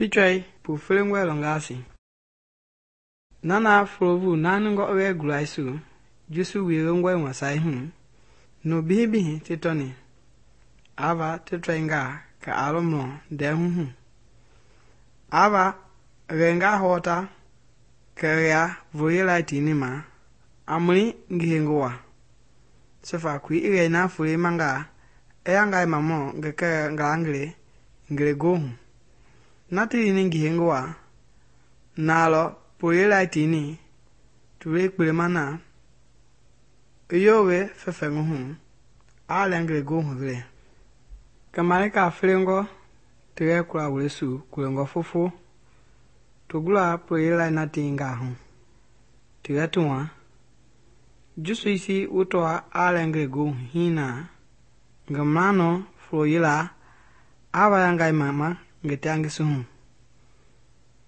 Pichɔi pu felengɔe lɔngaasi. Nana folovu naaningɔ i wɛɛ gulaisu Yesu wielongɔe wasai hu, nu bihi ti tɔni. Ava ti tɔingaa kɛ a lɔ mlɔ ndɛɛ hu. Ava ghɛngaa hɔɔta kɛ ria vooyelai tiini ma, a mɔli ngihengo waa. Sɔfa kui i ghɛi na folei mangaa, i yangai mamɔ ngi kɛɛ ngalangele ngelegoohu. Na ti lini ngihengo waa, na lɔ pooyelai tiini, tulei kpelema na, i yowe fɛfɛŋi hu, aa lɛ ngelegoohu vele. Kɛ malika felengɔ ti yɛ kula wulesu kulengɔ fofo, to gula pooyelai na teingaa hu, ti yɛ ti wa. Yesu isi wotɔa aa lɛ ngelegoohu hinaa, ngi manɔ foloyela ava yangai mama ngi teangisi hu.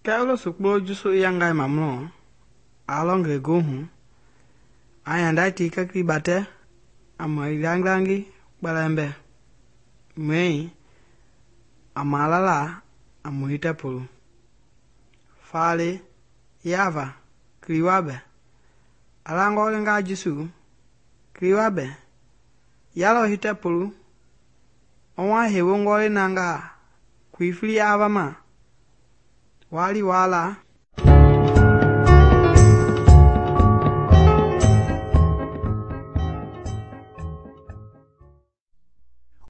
Kɛ i lo sukplo Yesu i yangai mamlɔ, aa lɔ ngelegoohu, a yandai ti kɛkili batɛ, a mɔi gilangilangi kpɛlɛmbɛ. Mɔi a malala a mɔi tɛpolu. Faale yava kiliwa bɛ. A langɔ lenga Yesu, kiliwa bɛ. Ya lɔ hitɛpolu, ɔwa hewengɔ le nangaa kui fili ava ma. Waa li waa la,